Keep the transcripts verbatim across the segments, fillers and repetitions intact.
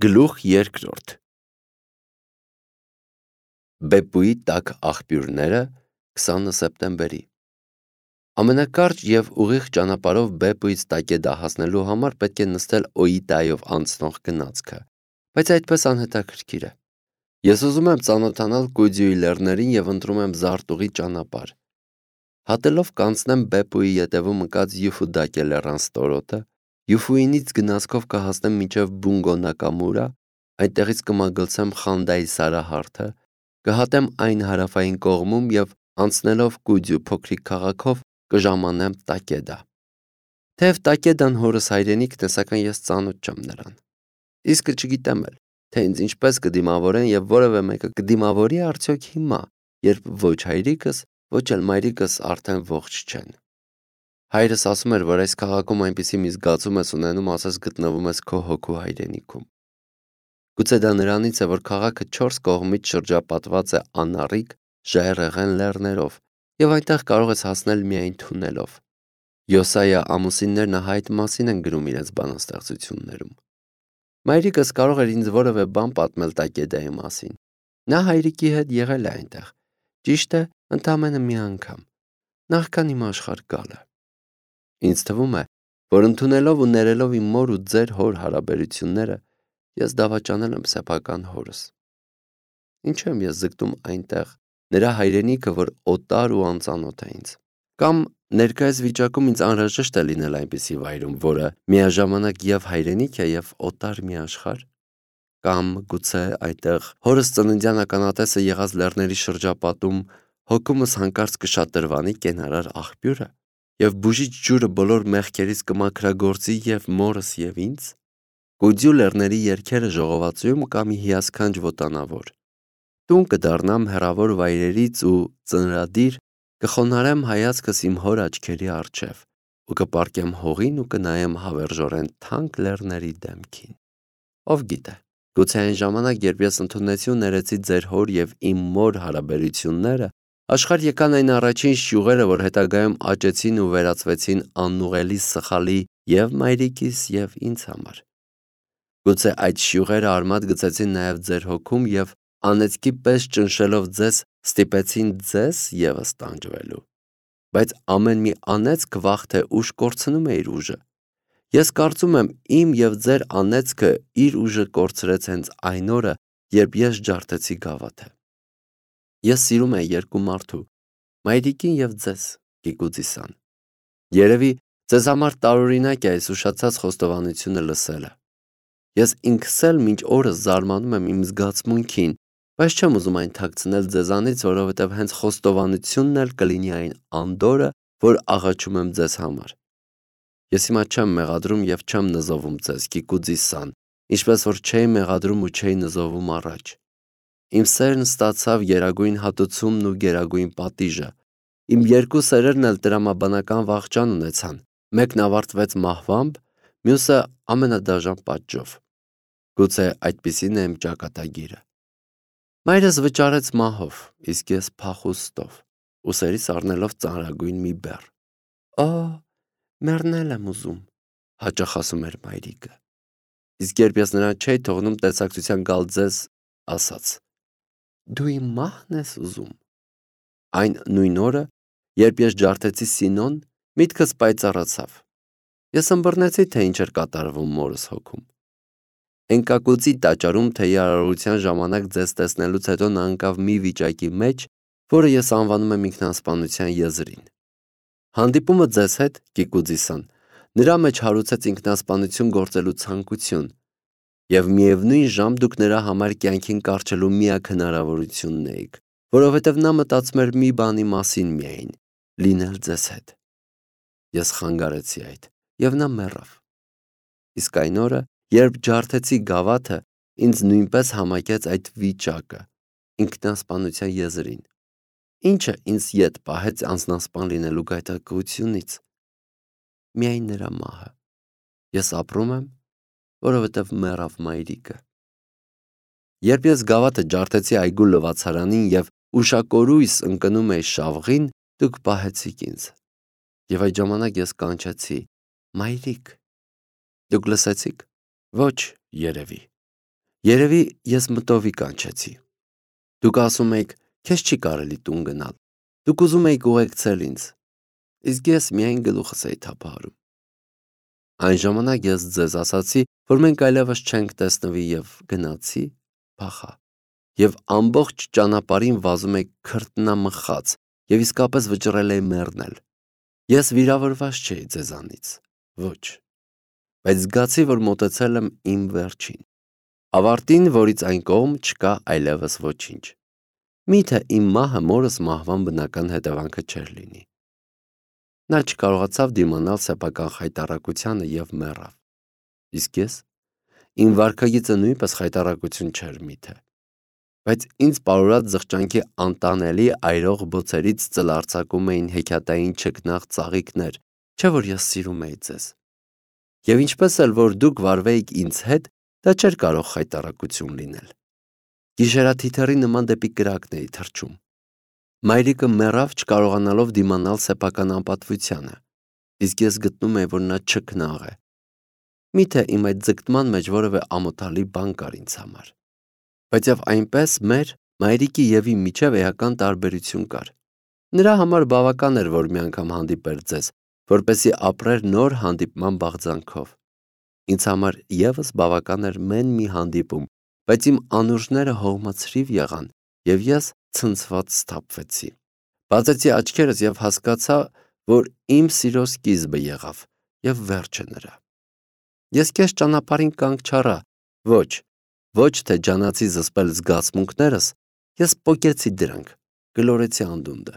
Գլուխ երկրորդ Բեպուի տաք աղբյուրները քսանը սեպտեմբերի Ամենակարճ և ուղիղ ճանապարհով Բեպուից Տակեդա հասնելու համար պետք է նստել Օիտայով անցնող գնացքը, բայց այդպես անհետաքրքիր է։ Ես ուզում եմ ծանոթանալ Կուդյուի լեռներին և ընտրում եմ զարտուղի ճանապարհ։ Հատելով կանցնեմ Բեպուի ետևում ընկած Յուֆուդակե լեռան ստորոտը, Յուֆուինից գնացքով կհասնեմ մինչև Բունգո Նակամուրա, այնտեղից կմագլցեմ Խանդայի Սարահարթը, կհատեմ այն հարավային կողմում և անցնելով Կուդյու փոքրիկ քաղաքով կժամանեմ Տակեդա։ Թեև Տակեդան հորս հայրենիքն է, սակայն ես ծանոթ չեմ նրան։ Իսկը չգիտեմ էլ, թե ինձ ինչպես կդիմավորեն և որևէ մեկը կդիմավորի արդյոք հիմա, երբ ոչ հայրիկս, ոչ էլ մայրիկս արդեն ողջ չեն։ Հայրս ասում էր, որ այս քաղաքում այնպիսի մի զգացում ես ունենում, ասես գտնվում ես քո հոգու հայրենիքում։ Գուցե դա նրանից է, որ քաղաքը չորս կողմից շրջապատված է անառիկ, ժայռերն լեռներով, և այնտեղ կարող ես հասնել միայն թունելով։ Յոսայա ամուսիններն այդ մասին են գրում իրենց բանաստեղծություններում։ Մայրիկս կարող էր ինձ որևէ բան պատմել Տակեդայի մասին։ Նա հայրիկի հետ եղել է այնտեղ, ճիշտ է, ընդամենը մի անգամ, նախքան իմ աշխարհ գալը։ Ինձ թվում է, որ ընդունելով ու ներելով իմ մոր ու ձեր հոր հարաբերությունները, ես դավաճանել եմ սեփական հորս։ Ինչու եմ ես զգտում այնտեղ, նրա հայրենիքը, որ օտար ու անծանոթ է ինձ։ Կամ ներկայիս վիճակում ինձ անհրաժեշտ է լինել այնպիսի վայրում, որը միաժամանակ և հայրենիք է, և օտար մի աշխարհ։ Կամ գուցե այդտեղ հորս ծննդյան ականատեսը եղած լեռների շրջապատում հոգումս հանկարծ կշատրվանի կենարար աղբյուրը, և բուժիչ ջուրը բոլոր մեղքերից կմաքրագործի և մորս և ինձ։ Կուդյու լեռների երգերը ժողովածուում կա մի հիասքանչ ոտանավոր։ Տուն կդառնամ հեռավոր վայրերից ու ծնրադիր կխոնարհեմ հայացքս իմ հոր աչքերի առջև ու կպառկեմ հողին ու կնայեմ հավերժորեն թանկ լեռների դեմքին։ Ով գիտե, գուցե այն ժամանակ, երբ ես ընդունեցի ու ներեցի ձեր հոր և իմ մոր հարաբերությունները, աշխարհ եկան այն առաջին շյուղերը, որ հետագայում աճեցին ու վերածվեցին անուղելի սխալի և մայրիկիս և ինձ համար։ Գուցե այդ շյուղերը արմատ գցեցին նաև ձեր հոգում և անեծքի պես ճնշելով ձեզ ստիպեցին ձեզ ևս տանջվելու։ Բայց ամեն մի անեծք վաղ թե ուշ կորցնում է իր ուժը։ Ես կարծում եմ իմ և ձեր անեծքը իր ուժը կորցրեց հենց այն օրը, երբ ես ջարդեցի գավաթը։ Ես սիրում եմ երկու մարդու՝ մայրիկին և ձեզ, Կիկուձիսան։ Երևի ձեզ համար տարօրինակ է այս ուշացած խոստովանությունը լսելը։ Ես ինքս էլ մինչ օրս զարմանում եմ իմ զգացմունքին, բայց չեմ ուզում այն թաքցնել ձեզանից, որովհետև հենց խոստովանությունն էլ կլինի այն անդորրը, որ աղաչում եմ ձեզ համար։ Ես հիմա չեմ մեղադրում և չեմ նզովում ձեզ, Կիկուձիսան, ինչպես որ չէի մեղադրում ու չէի նզովում առաջ։ Իմ սերն ստացավ գերագույն հատուցումն ու գերագույն պատիժը։ Իմ երկու սերերն էլ տրամաբանական վախճան ունեցան, մեկն ավարտվեց մահվամբ, մյուսը ամենադաժան պատժով։ Գուցե այդպիսին է իմ ճակատագիրը։ Մայրս վճարեց մահով, իսկ ես փախուստով, ուսերիս առնելով ծանրագույն մի բեռ։ Օ, մեռնել եմ ուզում, հաճախ ասում էր մայրիկը։ Իսկ երբ ես նրան չէի թողնում տեսակցության գալ ձեզ, ասաց. Դու իմ մահն ես ուզում։ Այն նույն օրը, երբ ես ջարդեցի Սինոն, միտքս պայծառացավ։ Ես ըմբռնեցի, թե ինչ էր կատարվում մորս հոգում։ Էնկակուծի տաճարում թեյի արարողության ժամանակ ձեզ տեսնելուց հետո նա ընկավ մի վիճակի մեջ, որը ես անվանում եմ ինքնասպանության եզրին։ Հանդիպումը ձեզ հետ, Կիկուձիսան, նրա մեջ հարուցեց ինքնասպանություն գործելու ցանկություն, և միևնույն ժամ դուք նրա համար կյանքին կառչելու միակ հնարավորությունն էիք, որովհետև նա մտածում էր մի բանի մասին միայն՝ լինել ձեզ հետ։ Ես խանգարեցի այդ, և նա մեռավ։ Իսկ այն օրը, երբ ջարդեցի գավաթը, ինձ նույնպես համակեց այդ վիճակը, ինքնասպանության եզրին։ Ինչը ինձ ետ պահեց անձնասպան լինելու գայթակղությունից։ Միայն նրա մահը։ Ես ապրում եմ, որովհետև մեռավ մայրիկը։ Երբ ես գավաթը ջարդեցի այգու լվացարանին և ուշակորույս ընկնում էի շավղին, դուք պահեցիք ինձ։ Եվ այդ ժամանակ ես կանչեցի. մայրիկ։ Դուք լսեցի՞ք։ Ոչ, երևի։ Երևի ես մտովի կանչեցի։ Դուք ասում եք, քեզ չի կարելի տուն գնալ։ Դուք ուզում եք ուղեկցել ինձ։ Իսկ ես միայն գլուխս էի թափահարում։ Այն ժամանակ ես ձեզ ասացի, որ մենք այլևս չենք տեսնվի եւ գնացի, փախա։ Եվ ամբողջ ճանապարհին վազում եք քրտնամխած եւ իսկապես վճռել էի մեռնել։ Ես վիրավորված չէի ձեզանից։ Ոչ։ Բայց զգացի, որ մոտեցել եմ իմ վերջին։ Ավարտին, որից այն կողմ չկա այլևս ոչինչ։ Միթե իմ մահը մորս մահվան բնական հետևանքը չէր լինի։ Նա չկարողացավ դիմանալ սեփական խայտառակությանը եւ մեռավ։ Իսկ ես, իմ վարքագիծը նույնպես խայտառակություն չէր միթե։ Բայց ինձ պարուրած զղջանքի անտանելի այրող բոցերից ծլարձակում էին հեքիաթային չքնաղ ծաղիկներ, չէ որ ես սիրում էի ձեզ։ Եվ ինչպես էլ որ դուք վարվեիք ինձ հետ, դա չէր կարող խայտառակություն լինել։ Գիշերաթիթեռի նման դեպի կրակն էի թռչում։ Մայրիկը մեռավ չկարողանալով դիմանալ սեփական անպատվությանը, իսկ ես գտնում էի, որ նա չքնաղ է։ Միթե իմ այդ ձգտման մեջ որևէ ամոթալի բան կար ինձ համար։ Բայց եւ այնպես մեր, մայրիկի եւ իմ միջև էական տարբերություն կար։ Նրա համար բավական էր, որ մի անգամ հանդիպեր ձեզ, որպեսզի ապրեր նոր հանդիպման բաղձանքով։ Ինձ համար եւս բավական էր մեն մի հանդիպում, բայց իմ անուրջները հողմացրիվ եղան, եւ ես ցնցված սթափվեցի։ Բացեցի աչքերս եւ հասկացա, որ իմ սիրո սկիզբը եղավ եւ վերջը նրա։ Ես քեզ ճանապարհին կանգ չառա, ոչ, ոչ թե ջանացի զսպել զգացմունքներս, ես պոկեցի դրանք, գլորեցի անդունդը։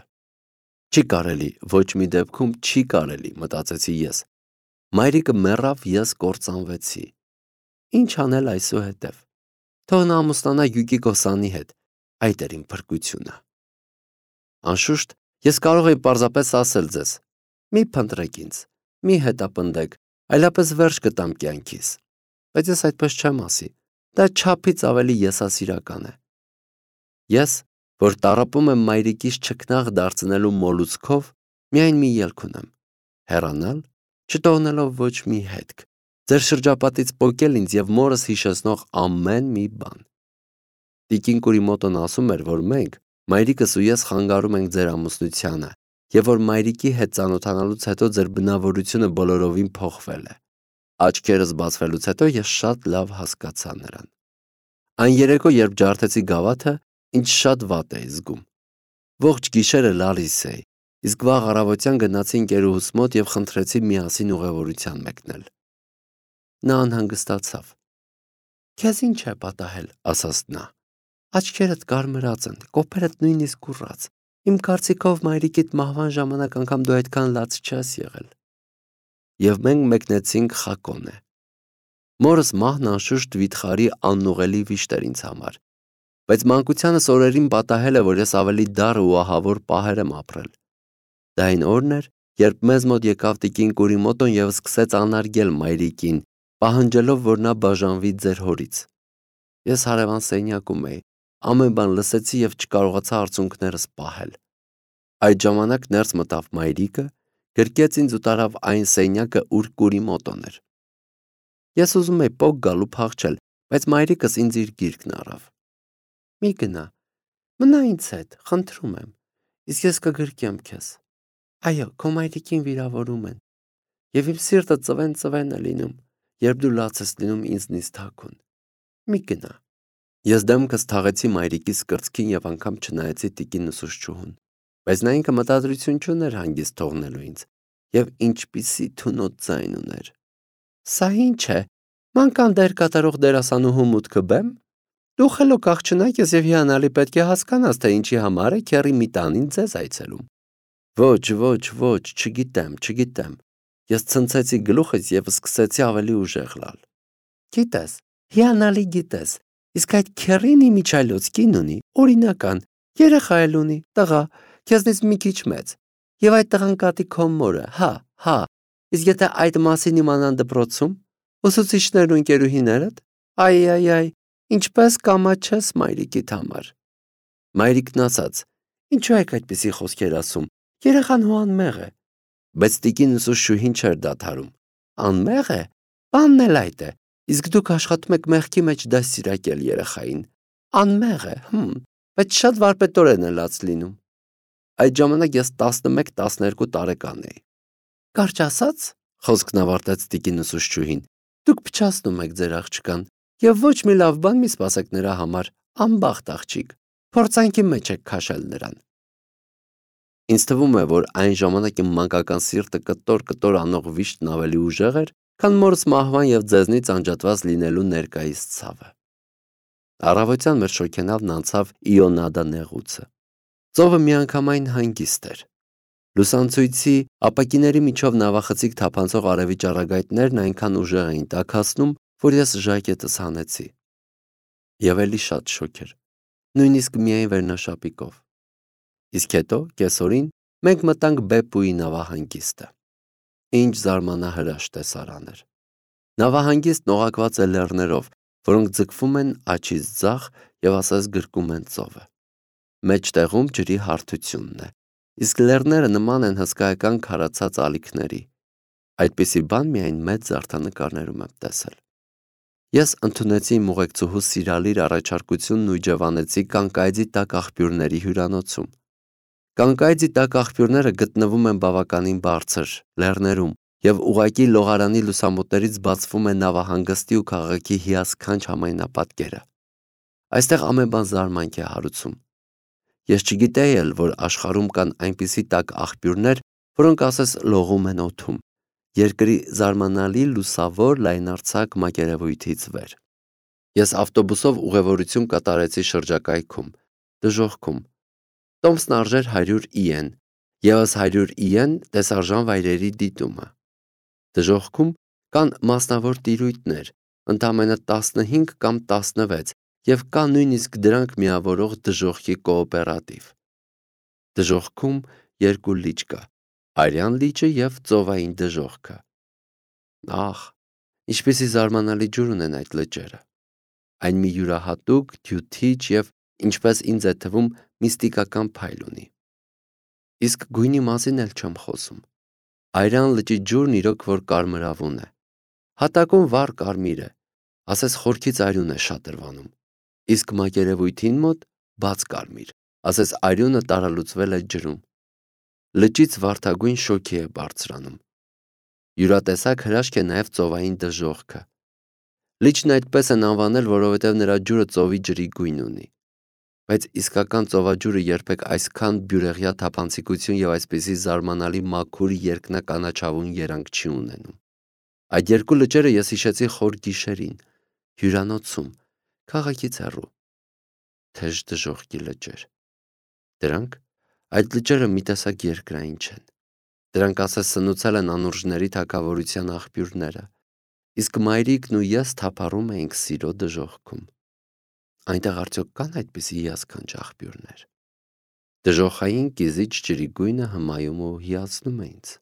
Չի կարելի, ոչ մի դեպքում չի կարելի, մտածեցի ես։ Մայրիկը մեռավ, ես կործանվեցի։ Ինչ անել այսուհետև։ Թող նա ամուսնանա Յուկի Կոսանի հետ, այդ էր իմ փրկությունը։ Անշուշտ, ես կարող էի պարզապես ասել ձեզ. մի փնտրեք ինձ, մի հետապնդեք, այլապես վերջ կտամ կյանքիս։ Բայց ես այդպես չեմ ասի, դա չափից ավելի եսասիրական է։ Ես, որ տառապում եմ մայրիկիս չքնաղ դարձնելու մոլուցքով, միայն մի ելք ունեմ՝ հեռանալ, չթողնելով ոչ մի հետք, ձեր շրջապատից պոկել ինձ եւ մորս հիշեցնող ամեն մի բան։ Տիկին Կուրիմոտոն ասում էր, որ մենք, մայրիկս ու ես խանգարում ենք ձեր ամուսնությանը, եւ որ մայրիկի հետ ծանոթանալուց հետո ձեր բնավորությունը բոլորովին փոխվել է։ Աչքերս բացվելուց հետո ես շատ լավ հասկացա նրան։ Այն երեկո, երբ ջարդեցի գավաթը, ինձ շատ վատ էի զգում։ Ողջ գիշերը լալիս էի, իսկ վաղ առավոտյան գնացի ընկերուհուս մոտ եւ խնդրեցի միասին ուղևորության մեկնել։ Նա անհանգստացավ։ Քեզ ինչ է պատահել, ասաց նա։ Աչքերդ կարմրած են, կոպերդ նույնիսկ կուրած։ Իմ կարծիքով մայրիկիդ մահվան ժամանակ անգամ դու այդքան լաց չես եղել։ Եվ մենք մեկնեցինք Խակոնե։ Մորս մահն անշուշտ վիթխարի անուղելի վիշտ էր ինձ համար, բայց մանկությանս օրերին պատահել է, որ ես ավելի դառը ու ահավոր պահեր եմ ապրել։ Դա այն օրն էր, երբ մեզ մոտ եկավ տիկին Կուրիմոտոն եւ սկսեց անարգել մայրիկին, պահանջելով, որ նա բաժանվի ձեր հորից։ Ես հարևան սենյակում էի, ամեն բան լսեցի եւ չկարողացա արցունքներս պահել։ Այդ ժամանակ ներս մտավ մայրիկը, գրկեց ինձ ու տարավ այն սենյակը, ուր Կուրիմոտոն էր։ Ես ուզում էի փոք գալու փախչել, բայց մայրիկս ինձ իր գիրկն առավ։ Մի գնա, մնա ինձ հետ, խնդրում եմ, իսկ ես կգրկեմ քեզ։ Այո, քո մայրիկին վիրավորում են, եւ իմ սիրտը ծվեն-ծվեն է լինում, երբ դու լաց ես լինում ինձնից թաքուն։ Մի գնա։ Ես դեմքս թաղեցի մայրիկիս կրծքին եւ անգամ չնայեցի տիկին ուսուցչուհուն, բայց նա ինքը մտադրություն չուներ հանգիստ թողնելու ինձ, եւ ինչպիսի թունոտ ձայն ուներ։ Սա ինչ է, մանկան դեր կատարող դերասանուհու մուտքը բեմ։ Դու խելոք աղջնակ ես եւ հիանալի պետք է հասկանաս, թե ինչի համար է քերի մի տանին ձեզ այցելում։ Ոչ, ոչ, ոչ, չգիտեմ, չգիտեմ։ Ես ցնցեցի գլուխս եւ սկսեցի ավելի ուժեղ լալ։ Գիտես, հիանալի գիտես, իսկ այդ քերին իմիջայլոց կին ունի, օրինական, երեխա էլ ունի, տղա, քեզնից մի քիչ մեծ։ Եվ այդ տղան կատի քո մորը, հա, հա։ Իսկ եթե այդ մասին իմանան դպրոցում, ուսուցիչներն ու ընկերուհիներդ, այ, այ, այ, ինչպես կամաչես մայրիկիդ համար։ Մայրիկն ասաց. Ինչու եք այդպիսի խոսքեր ասում։ Երեխան հո անմեղ է։ Բայց տիկին ուսուցչուհին չէր դադարում։ Անմեղ է։ Բանն էլ այդ է։ Իսկ դուք աշխատում եք մեղքի մեջ դաստիարակել երեխային։ Անմեղ է, հմ, բայց շատ վարպետորեն է լաց լինում։ Այդ ժամանակ ես տասնմեկ տասներկու տարեկան էի։ Կարճ ասած, խոսքն ավարտեց տիկին ուսուցչուհին, դուք փչացնում եք ձեր աղջկան, եւ ոչ մի լավ բան մի սպասեք նրա համար, անբախտ աղջիկ, փորձանքի մեջ եք քաշել նրան։ Ինձ թվում է, որ այն ժամանակ իմ մանկական սիրտը կտոր-կտոր անող վիշտն ավելի ուժեղ էր, քան մորս մահվան եւ ձեզնից անջատված լինելու ներկայիս ցավը։ Առավոտյան մեր շոգենավն անցավ Իոնադա նեղուցը։ Ծովը միանգամայն հանգիստ էր։ Լուսանցույցի ապակիների միջով նավախցիկ թափանցող արևի ճառագայթներն այնքան ուժեղ էին տաքացնում, որ ես ժակետս հանեցի։ Եվ էլի շատ շոգ էր, նույնիսկ միայն վերնաշապիկով։ Իսկ հետո, կեսօրին, մենք մտանք Բեպուի նավահանգիստը։ Ինչ զարմանահրաշ տեսարան էր։ Նավահանգիստն օղակված է լեռներով, որոնք ձգվում են աջից ձախ եւ ասես գրկում են ծովը։ Մեջտեղում ջրի հարթությունն է, իսկ լեռները նման են հսկայական քարացած ալիքների։ Այդպիսի բան միայն մեծ զարդանկարներում եմ տեսել։ Ես ընդունեցի իմ ուղեկցուհու սիրալիր առաջարկությունն ու իջևանեցի Կանկայձի տակ աղբյուրների հյուրանոցում։ Կանկայձի տակ աղբյուրները գտնվում են բավականին բարձր լեռներում եւ ուղակի լողարանի լուսամուտներից բացվում է նավահանգստի ու քաղաքի հիասքանչ համայնապատկերը։ Այստեղ ամեն բան զարմանք է հարուցում։ Ես չգիտեի էլ, որ աշխարհում կան այնպիսի տաք աղբյուրներ, որոնք ասես լողում են օդում, երկրի զարմանալի լուսավոր լայնարձակ մակերևույթից վեր։ Ես ավտոբուսով ուղևորություն կատարեցի շրջակայքում, դժոխքում։ Տոմսն արժեր հարյուր իեն, եւս հարյուր իեն տեսարժան վայրերի դիտումը։ Դժոխքում կան մասնավոր տիրույթներ, ընդամենը տասնհինգ կամ տասնվեց, եւ կա նույնիսկ դրանք միավորող դժոխքի կոոպերատիվ։ Դժոխքում երկու լիճ կա՝ Արյան լիճը եւ Ծովային դժոխքը։ Ահ, ինչպիսի զարմանալի ջուր ունեն այդ լճերը։ Այն մի յուրահատուկ, թյութիչ եւ, ինչպես ինձ է թվում, միստիկական փայլ ունի։ Իսկ գույնի մասին էլ չեմ խոսում։ Արյան լճի ջուրն իրոք որ կարմրավուն է։ Հատակում վառ կարմիր է, ասես խորքից արյուն է շատրվանում։ Իսկ մակերևույթին մոտ բաց կարմիր, ասես արյունը տարալուծվել է ջրում։ Լճից վարդագույն շոգի է բարձրանում։ Յուրատեսակ հրաշք է նաև ծովային դժոխքը։ Լիճն այդպես են անվանել, որովհետև նրա ջուրը ծովի ջրի գույն ունի։ Բայց իսկական ծովաջուրը երբեք այսքան բյուրեղյա թափանցիկություն եւ այսպիսի զարմանալի մաքուր երկնականաչավուն երանգ չի ունենում։ Այդ երկու լճերը ես հիշեցի խոր գիշերին, հյուրանոցում, քաղաքից հեռու։ Թեժ դժոխքի լճեր։ Դրանք, այդ լճերը մի տեսակ երկրային չեն։ Դրանք ասես սնուցել են անուրջների թագավորության աղբյուրները, իսկ մայրիկն ու ես թափառում էինք սիրո դժոխքում։ Այնտեղ արդյոք կան այդպիսի հիասքանչ աղբյուրներ։ Դժոխային կիզիչ ջրի գույնը հմայում ու հիացնում է ինձ։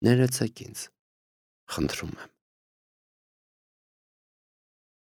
Ներեցեք ինձ, խնդրում եմ։